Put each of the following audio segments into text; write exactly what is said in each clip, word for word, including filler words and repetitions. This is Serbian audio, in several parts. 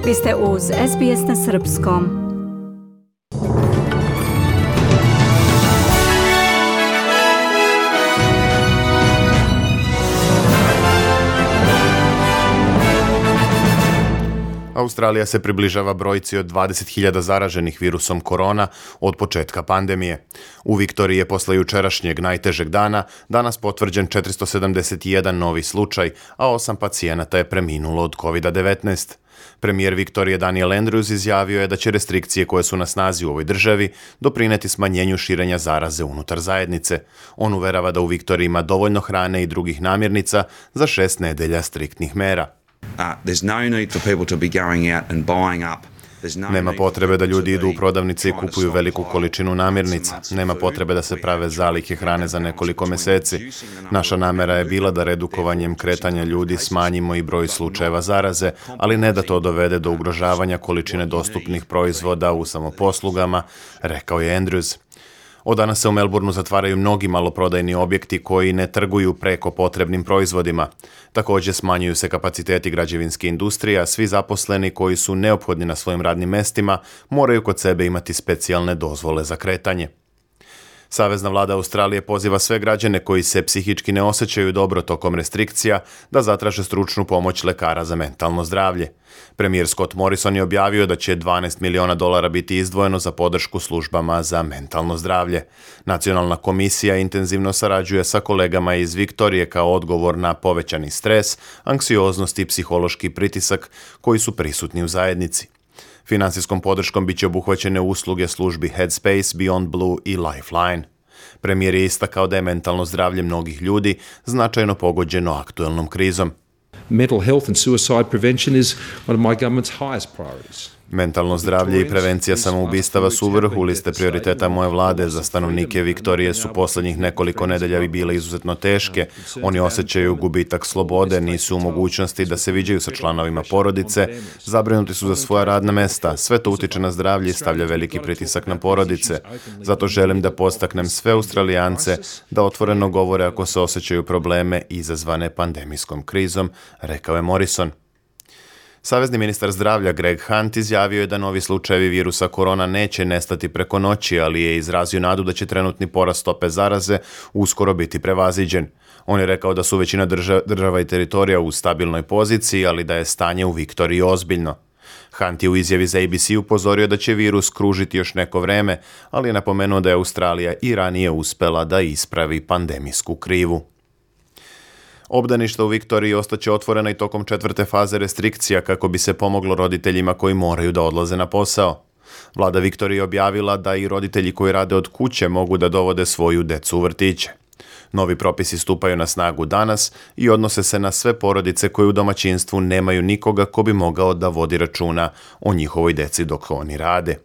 Vi ste uz S B S na srpskom. Australija se približava brojci od dvadeset hiljada zaraženih virusom korona od početka pandemije. U Viktoriji je posle jučerašnjeg najtežeg dana danas potvrđen četiristo sedamdeset jedan novi slučaj, a osam pacijenata je preminulo od kovid devetnaest. Premijer Viktorije Daniel Andrews izjavio je da će restrikcije koje su na snazi u ovoj državi doprineti smanjenju širenja zaraze unutar zajednice. On uverava da u Viktoriji ima dovoljno hrane i drugih namirnica za šest nedelja striktnih mera. Nema potrebe da ljudi idu u prodavnice i kupuju veliku količinu namirnica. Nema potrebe da se prave zalihe hrane za nekoliko meseci. Naša namera je bila da redukovanjem kretanja ljudi smanjimo i broj slučajeva zaraze, ali ne da to dovede do ugrožavanja količine dostupnih proizvoda u samoposlugama, rekao je Andrews. Od danas se u Melbourneu zatvaraju mnogi maloprodajni objekti koji ne trguju preko potrebnim proizvodima. Također smanjuju se kapaciteti građevinske industrije, a svi zaposleni koji su neophodni na svojim radnim mestima moraju kod sebe imati specijalne dozvole za kretanje. Savezna vlada Australije poziva sve građane koji se psihički ne osjećaju dobro tokom restrikcija da zatraže stručnu pomoć lekara za mentalno zdravlje. Premijer Scott Morrison je objavio da će dvanaest miliona dolara biti izdvojeno za podršku službama za mentalno zdravlje. Nacionalna komisija intenzivno sarađuje sa kolegama iz Viktorije kao odgovor na povećani stres, anksioznost i psihološki pritisak koji su prisutni u zajednici. Finansijskom podrškom biće obuhvaćene usluge službi Headspace, Beyond Blue i Lifeline. Premijer je istakao da je mentalno zdravlje mnogih ljudi značajno pogođeno aktuelnom krizom. Mental health and suicide prevention is one of my government's highest priorities. Mentalno zdravlje i prevencija samoubistava su u vrhu liste prioriteta moje vlade. Za stanovnike Viktorije su posljednjih nekoliko nedelja bile izuzetno teške. Oni osjećaju gubitak slobode, nisu u mogućnosti da se viđaju sa članovima porodice, zabrinuti su za svoja radna mesta. Sve to utiče na zdravlje i stavlja veliki pritisak na porodice. Zato želim da postaknem sve Australijance da otvoreno govore ako se osjećaju probleme izazvane pandemijskom krizom, rekao je Morrison. Savezni ministar zdravlja Greg Hunt izjavio je da novi slučajevi virusa korona neće nestati preko noći, ali je izrazio nadu da će trenutni porast stope zaraze uskoro biti prevaziđen. On je rekao da su većina država, država i teritorija u stabilnoj poziciji, ali da je stanje u Viktoriji ozbiljno. Hunt je u izjavi za A B C upozorio da će virus kružiti još neko vreme, ali je napomenuo da je Australija i ranije uspela da ispravi pandemijsku krivu. Obdaništa u Viktoriji ostaće otvorena i tokom četvrte faze restrikcija kako bi se pomoglo roditeljima koji moraju da odlaze na posao. Vlada Viktorije objavila da i roditelji koji rade od kuće mogu da dovode svoju decu u vrtiće. Novi propisi stupaju na snagu danas i odnose se na sve porodice koje u domaćinstvu nemaju nikoga ko bi mogao da vodi računa o njihovoj deci dok oni rade.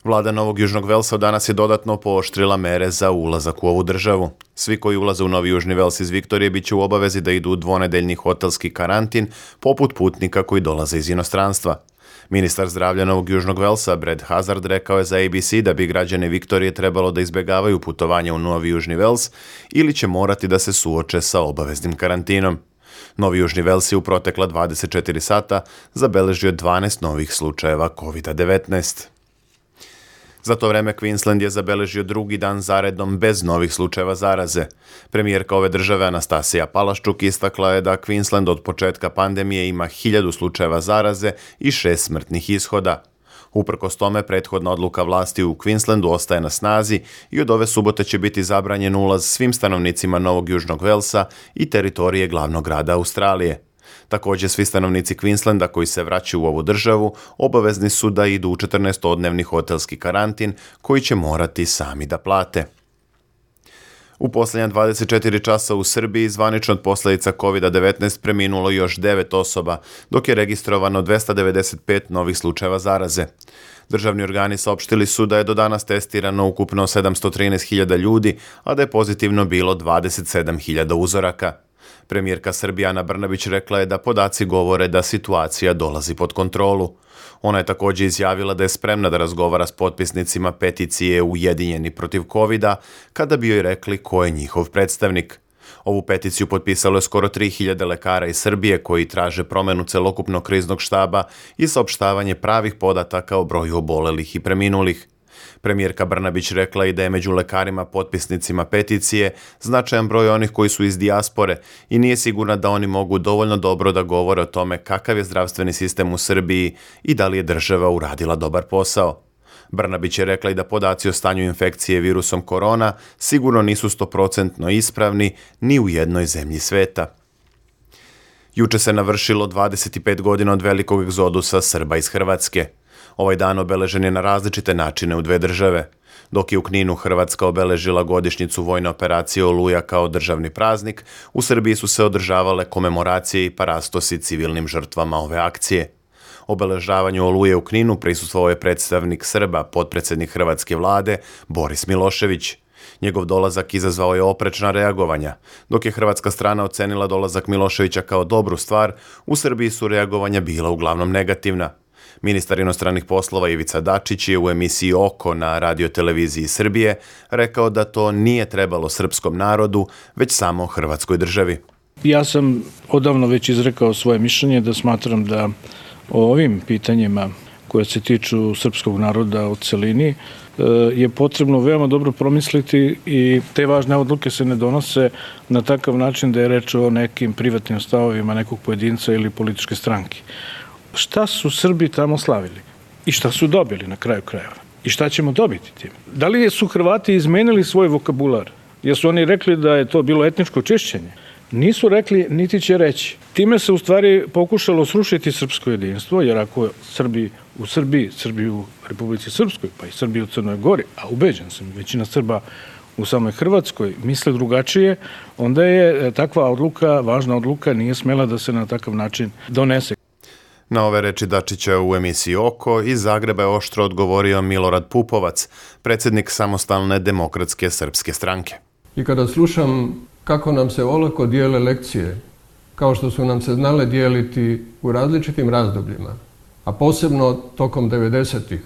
Vlada Novog Južnog Velsa danas je dodatno pooštrila mere za ulazak u ovu državu. Svi koji ulaze u Novi Južni Vels iz Viktorije bit će u obavezi da idu u dvonedeljni hotelski karantin, poput putnika koji dolaze iz inostranstva. Ministar zdravlja Novog Južnog Velsa, Brad Hazard, rekao je za A B C da bi građane Viktorije trebalo da izbjegavaju putovanje u Novi Južni Vels ili će morati da se suoče sa obaveznim karantinom. Novi Južni Vels je u protekla dvadeset četiri sata zabeležio dvanaest novih slučajeva kovid devetnaest. Za to vreme Queensland je zabeležio drugi dan zaredom bez novih slučajeva zaraze. Premijerka ove države Anastasija Palaščuk istakla je da Queensland od početka pandemije ima hiljadu slučajeva zaraze i šest smrtnih ishoda. Uprkos tome, prethodna odluka vlasti u Queenslandu ostaje na snazi i od ove subote će biti zabranjen ulaz svim stanovnicima Novog Južnog Velsa i teritorije glavnog grada Australije. Također, svi stanovnici Queenslanda koji se vraćaju u ovu državu obavezni su da idu u četrnaestodnevni hotelski karantin koji će morati sami da plate. U posljednja dvadeset četiri časa u Srbiji zvanično od posljedica kovid devetnaest preminulo još devet osoba, dok je registrovano dvesta devedeset pet novih slučajeva zaraze. Državni organi saopštili su da je do danas testirano ukupno sedamsto trinaest hiljada ljudi, a da je pozitivno bilo dvadeset sedam hiljada uzoraka. Premijerka Srbije Ana Brnabić rekla je da podaci govore da situacija dolazi pod kontrolu. Ona je također izjavila da je spremna da razgovara s potpisnicima peticije Ujedinjeni protiv kovida kada bi joj rekli ko je njihov predstavnik. Ovu peticiju potpisalo je skoro tri hiljade lekara iz Srbije koji traže promenu celokupnog kriznog štaba i saopštavanje pravih podataka o broju obolelih i preminulih. Premijerka Brnabić rekla i da je među lekarima potpisnicima peticije značajan broj onih koji su iz dijaspore i nije sigurna da oni mogu dovoljno dobro da govore o tome kakav je zdravstveni sistem u Srbiji i da li je država uradila dobar posao. Brnabić je rekla i da podaci o stanju infekcije virusom korona sigurno nisu sto posto ispravni ni u jednoj zemlji sveta. Juče se navršilo dvadeset pet godina od velikog egzodusa Srba iz Hrvatske. Ovaj dan obeležen je na različite načine u dve države. Dok je u Kninu Hrvatska obeležila godišnjicu vojne operacije Oluja kao državni praznik, u Srbiji su se održavale komemoracije i parastosi civilnim žrtvama ove akcije. Obeležavanju Oluje u Kninu prisustvovao je predstavnik Srba, potpredsjednik hrvatske vlade, Boris Milošević. Njegov dolazak izazvao je oprečna reagovanja. Dok je hrvatska strana ocenila dolazak Miloševića kao dobru stvar, u Srbiji su reagovanja bila uglavnom negativna. Ministar inostranih poslova Ivica Dačić je u emisiji Oko na radioteleviziji Srbije rekao da to nije trebalo srpskom narodu, već samo Hrvatskoj državi. Ja sam odavno već izrekao svoje mišljenje da smatram da o ovim pitanjima koje se tiču srpskog naroda u celini je potrebno veoma dobro promisliti i te važne odluke se ne donose na takav način da je reč o nekim privatnim stavovima nekog pojedinca ili političke stranke. Šta su Srbi tamo slavili i šta su dobili na kraju krajeva i šta ćemo dobiti tim? Da li su Hrvati izmenili svoj vokabular? Jesu oni rekli da je to bilo etničko čišćenje? Nisu rekli, niti će reći. Time se u stvari pokušalo srušiti srpsko jedinstvo, jer ako Srbi u Srbiji, Srbi u Republici Srpskoj, pa i Srbi u Crnoj Gori, a ubeđen sam, većina Srba u samoj Hrvatskoj misle drugačije, onda je takva odluka, važna odluka, nije smela da se na takav način donese. Na ove reči Dačića u emisiji Oko iz Zagreba je oštro odgovorio Milorad Pupovac, predsjednik Samostalne demokratske srpske stranke. I kada slušam kako nam se olako dijele lekcije, kao što su nam se znale dijeliti u različitim razdobljima, a posebno tokom devedesetih,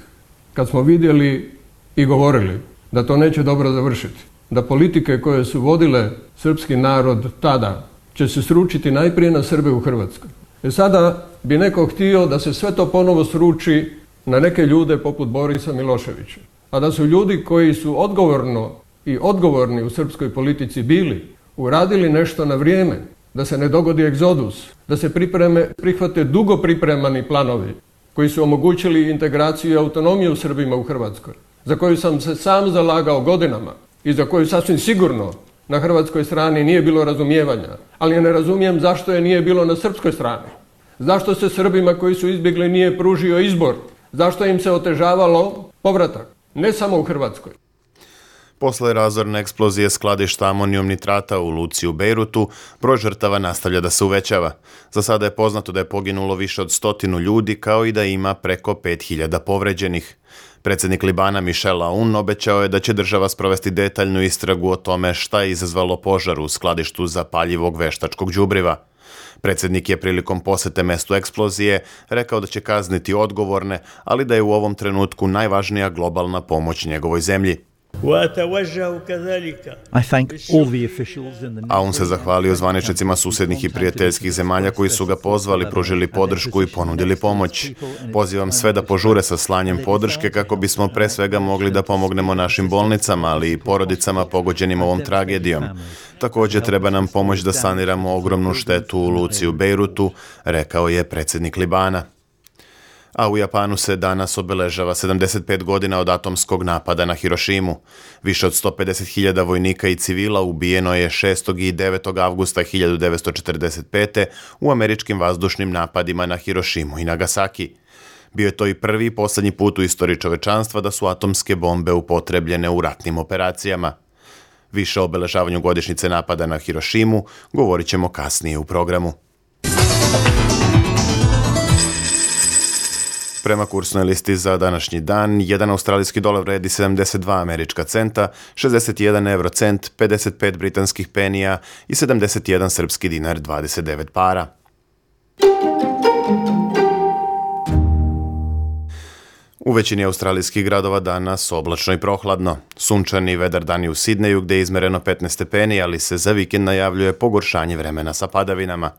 kad smo vidjeli i govorili da to neće dobro završiti, da politike koje su vodile srpski narod tada će se sručiti najprije na Srbe u Hrvatskoj. E sada bi neko htio da se sve to ponovo sruči na neke ljude poput Borisa Miloševića. A da su ljudi koji su odgovorno i odgovorni u srpskoj politici bili, uradili nešto na vrijeme, da se ne dogodi egzodus, da se pripreme, prihvate dugo pripremani planovi koji su omogućili integraciju i autonomiju Srbima u Hrvatskoj, za koju sam se sam zalagao godinama i za koju sasvim sigurno na hrvatskoj strani nije bilo razumijevanja, ali ja ne razumijem zašto je nije bilo na srpskoj strani. Zašto se Srbima koji su izbjegli nije pružio izbor? Zašto im se otežavalo povratak? Ne samo u Hrvatskoj. Posle razorne eksplozije skladišta amonijum nitrata u luci u Bejrutu, broj žrtava nastavlja da se uvećava. Za sada je poznato da je poginulo više od stotinu ljudi, kao i da ima preko pet hiljada povređenih. Predsjednik Libana Michel Aoun obećao je da će država sprovesti detaljnu istragu o tome šta je izazvalo požar u skladištu zapaljivog veštačkog đubriva. Predsjednik je prilikom posete mestu eksplozije rekao da će kazniti odgovorne, ali da je u ovom trenutku najvažnija globalna pomoć njegovoj zemlji. A on se zahvalio zvaničnicima susjednih i prijateljskih zemalja koji su ga pozvali, pružili podršku i ponudili pomoć. Pozivam sve da požure sa slanjem podrške kako bismo pre svega mogli da pomognemo našim bolnicama, ali i porodicama pogođenim ovom tragedijom. Također treba nam pomoć da saniramo ogromnu štetu u luci u Bejrutu, rekao je predsjednik Libana. A u Japanu se danas obeležava sedamdeset pet godina od atomskog napada na Hirošimu. Više od sto pedeset hiljada vojnika i civila ubijeno je šestog i devetog avgusta hiljadu devetsto četrdeset pete. u američkim vazdušnim napadima na Hirošimu i Nagasaki. Bio je to i prvi i posljednji put u istoriji čovečanstva da su atomske bombe upotrebljene u ratnim operacijama. Više o obeležavanju godišnjice napada na Hirošimu govorit ćemo kasnije u programu. Prema kursnoj listi za današnji dan, jedan australijski dolar vredi sedamdeset dva američka centa, šezdeset jedan eurocent, pedeset pet britanskih penija i sedamdeset jedan srpski dinar dvadeset devet para. U većini australijskih gradova danas oblačno i prohladno. Sunčani i vedar dan je u Sidneju gdje je izmereno petnaest stepeni, ali se za vikend najavljuje pogoršanje vremena sa padavinama.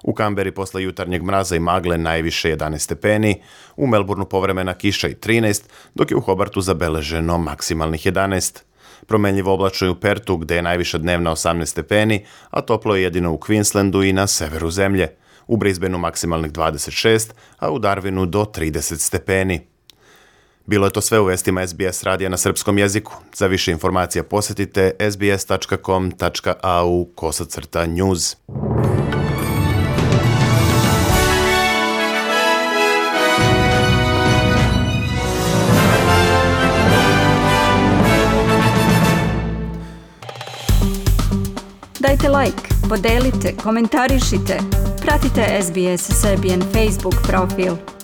U Kamberi posle jutarnjeg mraza i magle najviše jedanaest stepeni, u Melbourneu povremena kiša i trinaest, dok je u Hobartu zabeleženo maksimalnih jedanaest. Promenljivo oblačno je u Pertu gdje je najviša dnevna osamnaest stepeni, a toplo je jedino u Queenslandu i na severu zemlje. U Brisbaneu maksimalnih dvadeset šest, a u Darwinu do trideset stepeni. Bilo je to sve u vestima S B S radija na srpskom jeziku. Za više informacija posjetite sbs tačka com tačka a u kosacrta news. Dajte like, podelite, komentarišite. Pratite S B S Serbian Facebook profil.